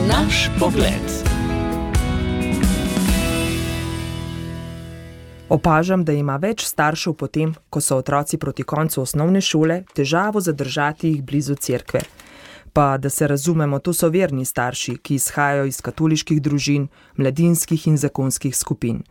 Naš pogled. Opažam, da ima več staršev potem, ko so otroci proti koncu osnovne šole, težavo zadržati jih blizu cerkve. Pa, da se razumemo, to so verni starši, ki izhajajo iz katoliških družin, mladinskih in zakonskih skupin.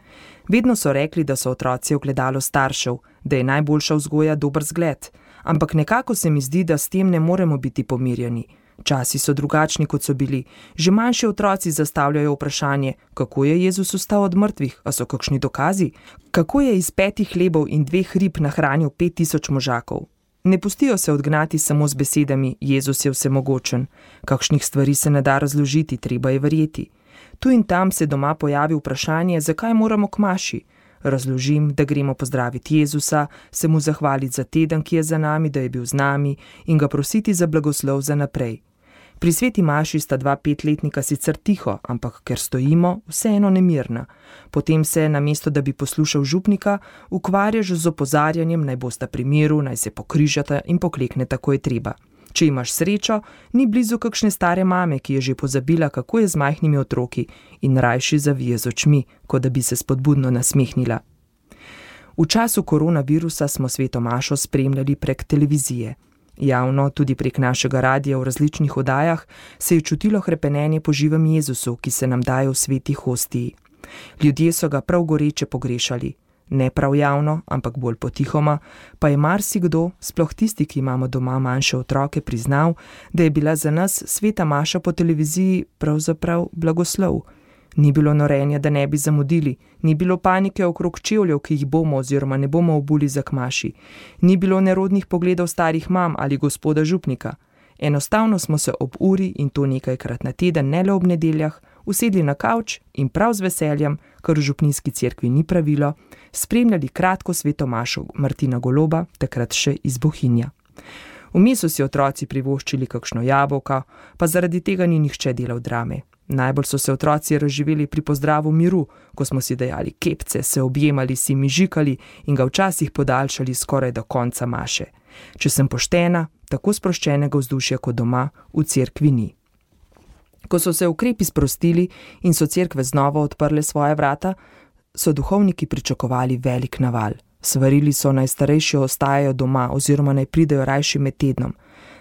Vedno so rekli, da so otroci ogledalo staršev, da je najboljša vzgoja dober zgled, ampak nekako se mi zdi, da s tem ne moremo biti pomirjeni. Časi so drugačni, kot so bili. Že manjši otroci zastavljajo vprašanje, kako je Jezus vstal od mrtvih, a so kakšni dokazi? Kako je iz 5 hlebov in 2 rib nahranil 5000 možakov? Ne pustijo se odgnati samo z besedami, Jezus je vsemogočen. Kakšnih stvari se ne da razložiti, treba je verjeti. Tu in tam se doma pojavi vprašanje, zakaj moramo k maši. Razložim, da gremo pozdraviti Jezusa, se mu zahvaliti za teden, ki je za nami, da je bil z nami in ga prositi za blagoslov za naprej. Pri sveti maši sta 2 5-letnika sicer tiho, ampak ker stojimo, vseeno nemirna. Potem se, namesto da bi poslušal župnika, ukvarjaš z opozarjanjem, naj bosta pri miru, naj se pokrižata in poklekneta, ko je treba. Če imaš srečo, ni blizu kakšne stare mame, ki je že pozabila, kako je z majhnimi otroki in rajši zavije z očmi, kot da bi se spodbudno nasmehnila. V času koronavirusa smo sveto mašo spremljali prek televizije. Javno, tudi prek našega radia v različnih oddajah, se je čutilo hrepenenje po živem Jezusu, ki se nam daje v sveti hostiji. Ljudje so ga prav goreče pogrešali. Ne prav javno, ampak bolj potihoma, pa je marsikdo, sploh tisti, ki imamo doma manjše otroke, priznal, da je bila za nas sveta maša po televiziji pravzaprav blagoslov. Ni bilo norenja, da ne bi zamudili, ni bilo panike okrog čevljev, ki jih bomo oziroma ne bomo obuli za k maši, ni bilo nerodnih pogledov starih mam ali gospoda župnika. Enostavno smo se ob uri in to nekajkrat na teden, ne le ob nedeljah, usedli na kavč in prav z veseljem, kar v župnijski cerkvi ni pravilo, spremljali kratko sveto mašo Martina Goloba, takrat še iz Bohinja. Vmes so si otroci privoščili kakšno jabolko, pa zaradi tega ni nihče delal drame. Najbolj so se otroci razživeli pri pozdravu miru, ko smo si dajali kepce, se objemali, si mižikali in ga včasih podaljšali skoraj do konca maše. Če sem poštena, tako sproščenega vzdušja kot doma v cerkvi ni. Ko so se ukrepi sprostili in so cerkve znova odprle svoja vrata, so duhovniki pričakovali velik naval. Svarili so, naj starejši ostajajo doma oziroma naj pridejo rajši med tednom.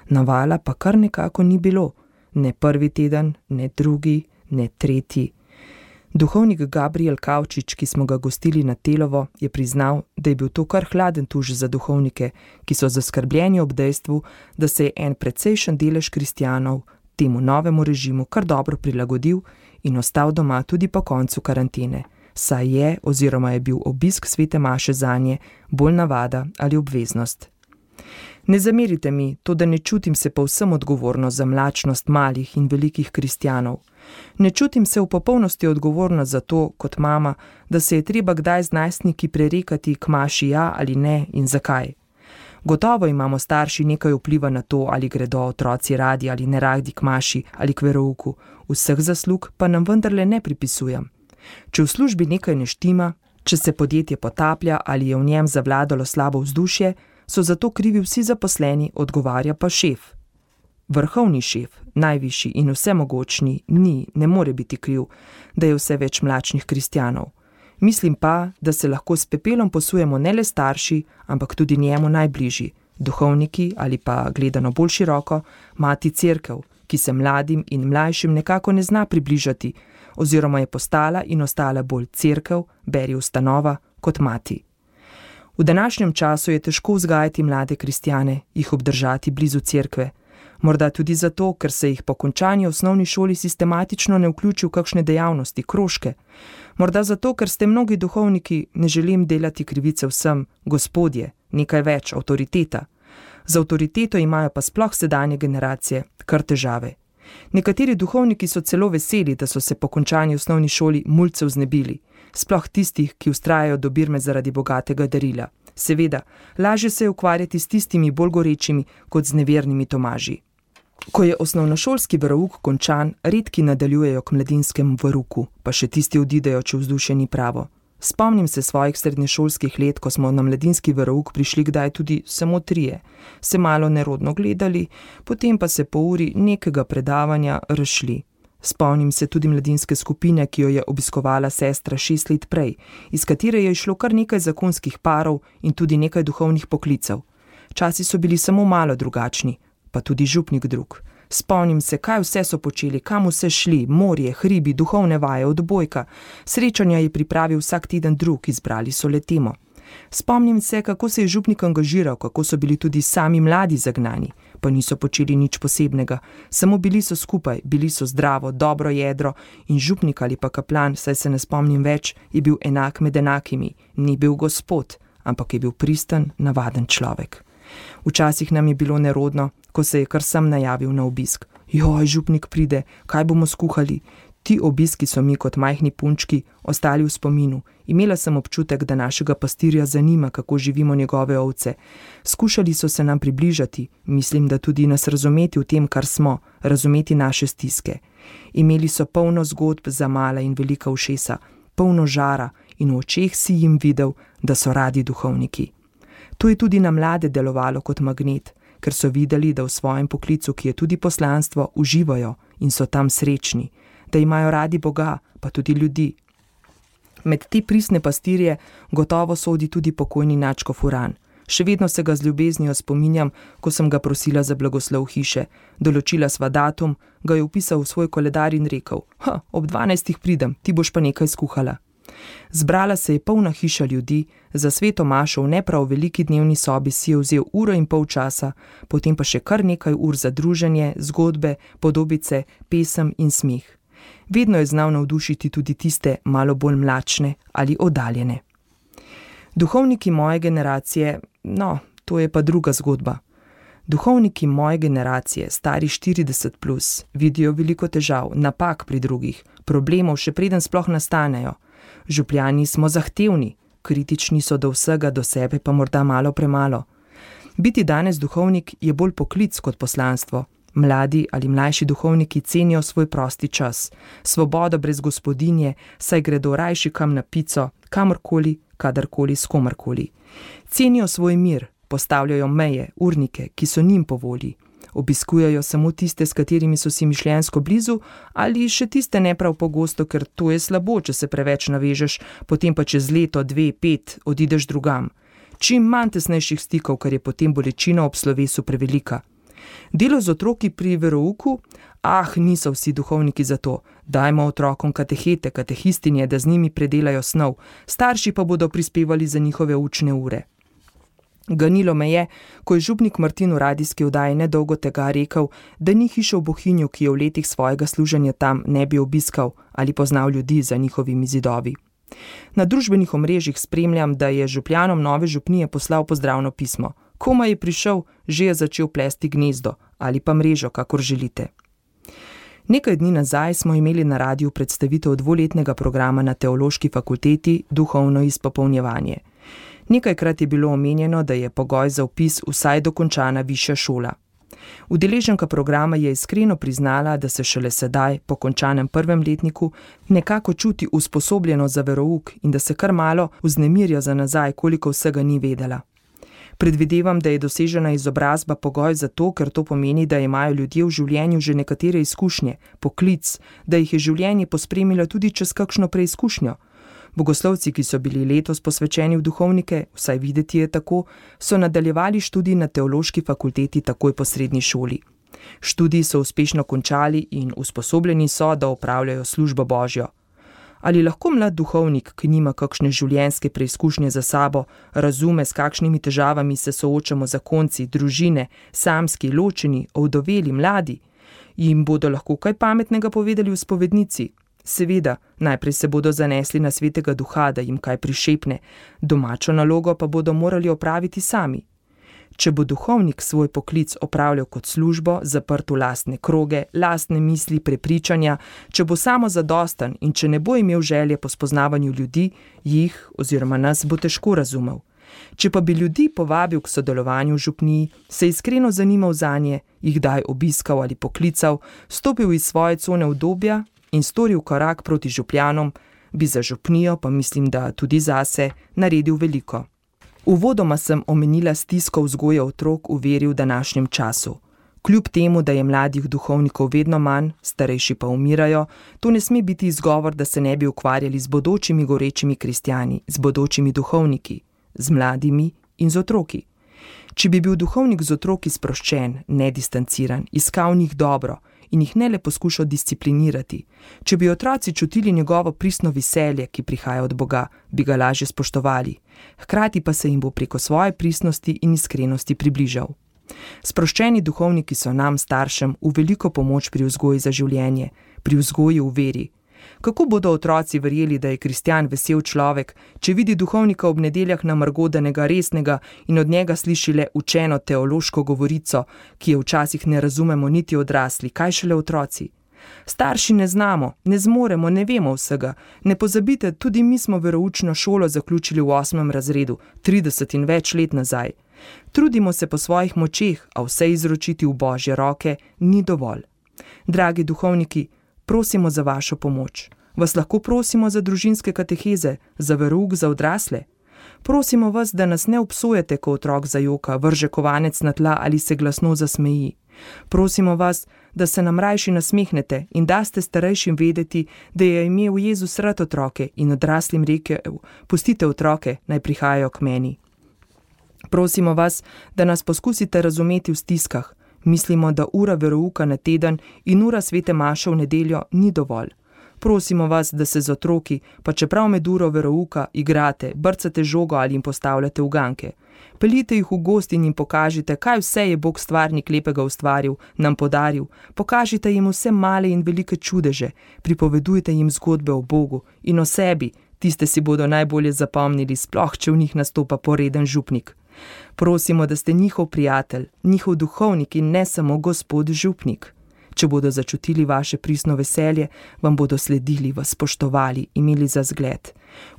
Navala pa kar nekako ni bilo. Ne prvi teden, ne drugi, ne tretji. Duhovnik Gabriel Kavčič, ki smo ga gostili na Telovo, je priznal, da je bil to kar hladen tuš za duhovnike, ki so zaskrbljeni ob dejstvu, da se je en precejšen delež kristjanov temu novemu režimu kar dobro prilagodil in ostal doma tudi po koncu karantene, saj je oziroma je bil obisk svete maše zanje bolj navada ali obveznost. Ne zamerite mi, to da ne čutim se povsem odgovorno za mlačnost malih in velikih kristjanov. Ne čutim se v popolnosti odgovorna za to, kot mama, da se je treba kdaj z najstniki prerekati k maši ja ali ne in zakaj. Gotovo imamo starši nekaj vpliva na to, ali gredo otroci radi ali ne radi k maši ali k verouku. Vseh zaslug pa nam vendarle ne pripisujem. Če v službi nekaj ne štima, če se podjetje potaplja ali je v njem zavladalo slabo vzdušje, so zato krivi vsi zaposleni, odgovarja pa šef. Vrhovni šef, najvišji in vsemogočni, ne more biti kriv, da je vse več mlačnih kristjanov. Mislim pa, da se lahko s pepelom posujemo ne le starši, ampak tudi njemu najbližji, duhovniki ali pa, gledano bolj široko, mati cerkev, ki se mladim in mlajšim nekako ne zna približati, oziroma je postala in ostala bolj cerkev, beri ustanova, kot mati. V današnjem času je težko vzgajati mlade kristjane, jih obdržati blizu cerkve. Morda tudi zato, ker se jih po končani osnovni šoli sistematično ne vključi v kakšne dejavnosti, krožke. Morda zato, ker ste mnogi duhovniki, ne želim delati krivice vsem, gospodje, nekaj več, avtoriteta. Z avtoriteto imajo pa sploh sedanje generacije kar težave. Nekateri duhovniki so celo veseli, da so se po končani osnovni šoli mulcev znebili, sploh tistih, ki vztrajajo do birme zaradi bogatega darila. Seveda, lažje se je ukvarjati s tistimi bolj gorečimi kot z nevernimi Tomaži. Ko je osnovnošolski verouk končan, redki nadaljujejo k mladinskemu verouku, pa še tisti odidejo, če vzdušje ni pravo. Spomnim se svojih srednješolskih let, ko smo na mladinski verouk prišli kdaj tudi samo 3, se malo nerodno gledali, potem pa se po uri nekega predavanja razšli. Spomnim se tudi mladinske skupine, ki jo je obiskovala sestra 6 let prej, iz katere je išlo kar nekaj zakonskih parov in tudi nekaj duhovnih poklicev. Časi so bili samo malo drugačni, pa tudi župnik drug. Spomnim se, kaj vse so počeli, kam vse šli, morje, hribi, duhovne vaje, odbojka. Srečanja je pripravil vsak teden drug, izbrali so le temo. Spomnim se, kako se je župnik angažiral, kako so bili tudi sami mladi zagnani, pa niso počeli nič posebnega, samo bili so skupaj, bili so zdravo, dobro jedro in župnik ali pa kaplan, saj se ne spomnim več, je bil enak med enakimi, ni bil gospod, ampak je bil pristen, navaden človek. Včasih nam je bilo nerodno, ko se je kar sem najavil na obisk. Joj, župnik pride, kaj bomo skuhali? Ti obiski so mi kot majhni punčki ostali v spominu. Imela sem občutek, da našega pastirja zanima, kako živimo njegove ovce. Skušali so se nam približati, mislim, da tudi nas razumeti v tem, kar smo, razumeti naše stiske. Imeli so polno zgodb za mala in velika ušesa, polno žara in v očeh si jim videl, da so radi duhovniki. To je tudi na mlade delovalo kot magnet, ker so videli, da v svojem poklicu, ki je tudi poslanstvo, uživajo in so tam srečni, da imajo radi Boga, pa tudi ljudi. Med te pristne pastirje gotovo sodi tudi pokojni nadškof Furan. Še vedno se ga z ljubeznijo spominjam, ko sem ga prosila za blagoslov hiše. Določila sva datum, ga je vpisal v svoj koledar in rekel: ob 12 pridem, ti boš pa nekaj skuhala. Zbrala se je polna hiša ljudi, za sveto mašo v ne prav veliki dnevni sobi si je vzel 1,5 ure časa, potem pa še kar nekaj ur za druženje, zgodbe, podobice, pesem in smeh. Vedno je znal navdušiti tudi tiste malo bolj mlačne ali oddaljene. Duhovniki moje generacije, to je pa druga zgodba. Duhovniki moje generacije, stari 40+, vidijo veliko težav, napak pri drugih, problemov še preden sploh nastanejo. Župljani smo zahtevni, kritični so do vsega, do sebe pa morda malo premalo. Biti danes duhovnik je bolj poklic kot poslanstvo. Mladi ali mlajši duhovniki cenijo svoj prosti čas, svobodo brez gospodinje, saj gredo rajši kam na pico, kamorkoli, kadarkoli, s komarkoli. Cenijo svoj mir, postavljajo meje, urnike, ki so njim po volji. Obiskujejo samo tiste, s katerimi so si mišljenjsko blizu, ali še tiste ne prav pogosto, ker to je slabo, če se preveč navežeš, potem pa čez leto, 2, 5 odideš drugam. Čim manj tesnejših stikov, ker je potem bolečina ob slovesu prevelika. Delo z otroki pri verouku? Niso vsi duhovniki za to. Dajmo otrokom katehete, katehistinje, da z njimi predelajo snov, starši pa bodo prispevali za njihove učne ure. Ganilo me je, ko je župnik Martin v radijski oddaji nedolgo tega rekel, da ni hiše v Bohinju, ki je v letih svojega služenja tam ne bi obiskal ali poznal ljudi za njihovimi zidovi. Na družbenih omrežjih spremljam, da je župljanom nove župnije poslal pozdravno pismo. Komaj je prišel, že je začel plesti gnezdo ali pa mrežo, kakor želite. Nekaj dni nazaj smo imeli na radiju predstavitev 2-letnega programa na Teološki fakulteti Duhovno izpopolnjevanje. Nekajkrat je bilo omenjeno, da je pogoj za vpis vsaj dokončana višja šola. Udeleženka programa je iskreno priznala, da se šele sedaj, po končanem 1. letniku, nekako čuti usposobljeno za verouk in da se kar malo vznemirja za nazaj, koliko vsega ni vedela. Predvidevam, da je dosežena izobrazba pogoj za to, ker to pomeni, da imajo ljudje v življenju že nekatere izkušnje, poklic, da jih je življenje pospremilo tudi čez kakšno preizkušnjo. Bogoslovci, ki so bili letos posvečeni v duhovnike, vsaj videti je tako, so nadaljevali študij na Teološki fakulteti takoj po srednji šoli. Študij so uspešno končali in usposobljeni so, da opravljajo službo Božjo. Ali lahko mlad duhovnik, ki nima kakšne življenjske preizkušnje za sabo, razume, s kakšnimi težavami se soočamo zakonci, družine, samski, ločeni, ovdoveli, mladi? Jim bodo lahko kaj pametnega povedali v spovednici? Seveda, najprej se bodo zanesli na svetega duha, da jim kaj prišepne, domačo nalogo pa bodo morali opraviti sami. Če bo duhovnik svoj poklic opravljal kot službo, zaprt v lastne kroge, lastne misli, prepričanja, če bo samozadosten in če ne bo imel želje po spoznavanju ljudi, jih oziroma nas bo težko razumel. Če pa bi ljudi povabil k sodelovanju v župniji, se iskreno zanimal zanje, jih daj obiskal ali poklical, stopil iz svoje cone udobja in storil korak proti župljanom, bi za župnijo, pa mislim, da tudi zase, naredil veliko. Uvodoma sem omenila stisko vzgoje otrok v veri v današnjem času. Kljub temu, da je mladih duhovnikov vedno manj, starejši pa umirajo, to ne sme biti izgovor, da se ne bi ukvarjali z bodočimi gorečimi kristjani, z bodočimi duhovniki, z mladimi in z otroki. Če bi bil duhovnik z otroki sproščen, nedistanciran, iskal njih dobro in jih ne le poskušal disciplinirati, če bi otroci čutili njegovo pristno veselje, ki prihaja od Boga, bi ga lažje spoštovali, hkrati pa se jim bo preko svoje pristnosti in iskrenosti približal. Sproščeni duhovniki so nam, staršem, v veliko pomoč pri vzgoji za življenje, pri vzgoji v veri. Kako bodo otroci verjeli, da je kristjan vesel človek, če vidi duhovnika ob nedeljah namrgodanega, resnega in od njega sliši le učeno teološko govorico, ki je včasih ne razumemo niti odrasli, kaj šele otroci? Starši ne znamo, ne zmoremo, ne vemo vsega. Ne pozabite, tudi mi smo veroučno šolo zaključili v 8. razredu, 30 in več let nazaj. Trudimo se po svojih močeh, a vse izročiti v Božje roke ni dovolj. Dragi duhovniki, prosimo za vašo pomoč. Vas lahko prosimo za družinske kateheze, za verouk za odrasle? Prosimo vas, da nas ne obsojate, ko otrok zajoka, vrže kovanec na tla ali se glasno zasmeji. Prosimo vas, da se nam rajši nasmehnete in daste starejšim vedeti, da je imel Jezus rad otroke in odraslim rekel, pustite otroke, naj prihajajo k meni. Prosimo vas, da nas poskusite razumeti v stiskah. Mislimo, da ura verouka na teden in ura svete maše v nedeljo ni dovolj. Prosimo vas, da se z otroki, pa čeprav med uro verouka, igrate, brcate žogo ali jim postavljate uganke. Peljite jih v gost in jim pokažite, kaj vse je Bog stvarnik lepega ustvaril, nam podaril. Pokažite jim vse male in velike čudeže, pripovedujte jim zgodbe o Bogu in o sebi, tiste si bodo najbolje zapomnili, sploh če v njih nastopa poreden župnik. Prosimo, da ste njihov prijatelj, njihov duhovnik in ne samo gospod župnik. Če bodo začutili vaše pristno veselje, vam bodo sledili, vas spoštovali, imeli za zgled.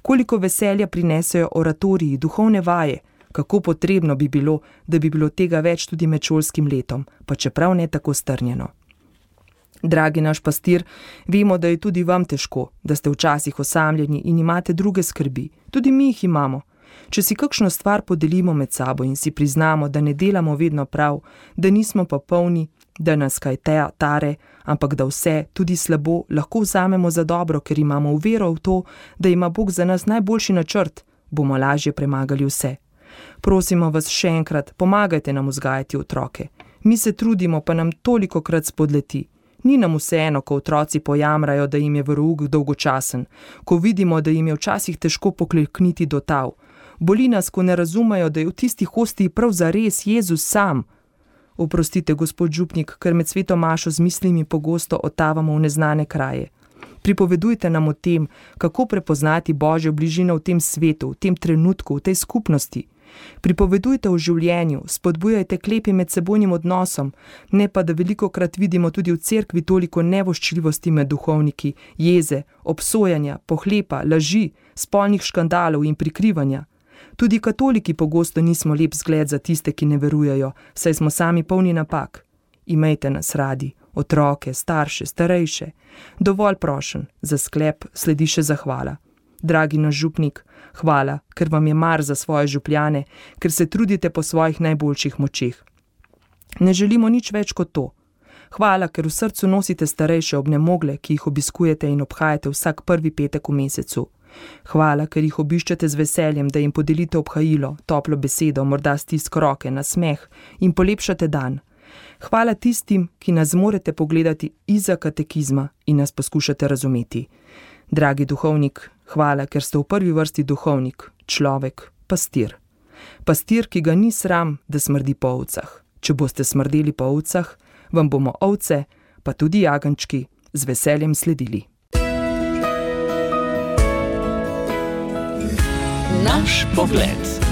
Koliko veselja prinesejo oratoriji, duhovne vaje, kako potrebno bi bilo, da bi bilo tega več tudi med šolskim letom, pa čeprav ne tako strnjeno. Dragi naš pastir, vemo, da je tudi vam težko, da ste včasih osamljeni in imate druge skrbi, tudi mi jih imamo. Če si kakšno stvar podelimo med sabo in si priznamo, da ne delamo vedno prav, da nismo pa polni, da nas kaj tare, ampak da vse, tudi slabo, lahko vzamemo za dobro, ker imamo vero v to, da ima Bog za nas najboljši načrt, bomo lažje premagali vse. Prosimo vas še enkrat, pomagajte nam vzgajati otroke. Mi se trudimo, pa nam tolikokrat spodleti. Ni nam vseeno, ko otroci pojamrajo, da jim je verouk dolgočasen, ko vidimo, da jim je včasih težko poklekniti do tav. Boli nas, ko ne razumejo, da je v tisti hostiji prav zares Jezus sam. Oprostite, gospod župnik, ker med sveto mašo z mislimi pogosto otavamo v neznane kraje. Pripovedujte nam o tem, kako prepoznati Božjo bližino v tem svetu, v tem trenutku, v tej skupnosti. Pripovedujte o življenju, spodbujajte k lepim medsebojnim odnosom, ne pa da velikokrat vidimo tudi v cerkvi toliko nevoščljivosti med duhovniki, jeze, obsojanja, pohlepa, laži, spolnih škandalov in prikrivanja. Tudi katoliki pogosto nismo lep zgled za tiste, ki ne verujejo, saj smo sami polni napak. Imejte nas radi, otroke, starše, starejše. Dovolj prošen, za sklep sledi še zahvala. Dragi naš župnik, hvala, ker vam je mar za svoje župljane, ker se trudite po svojih najboljših močeh. Ne želimo nič več kot to. Hvala, ker v srcu nosite starejše obnemogle, ki jih obiskujete in obhajate vsak prvi petek v mesecu. Hvala, ker jih obiščete z veseljem, da jim podelite obhajilo, toplo besedo, morda stisk roke, nasmeh in polepšate dan. Hvala tistim, ki nas zmorete pogledati izza katekizma in nas poskušate razumeti. Dragi duhovnik, hvala, ker ste v prvi vrsti duhovnik, človek, pastir. Pastir, ki ga ni sram, da smrdi po ovcah. Če boste smrdeli po ovcah, vam bomo ovce, pa tudi jagenjčki, z veseljem sledili. Naš pogled.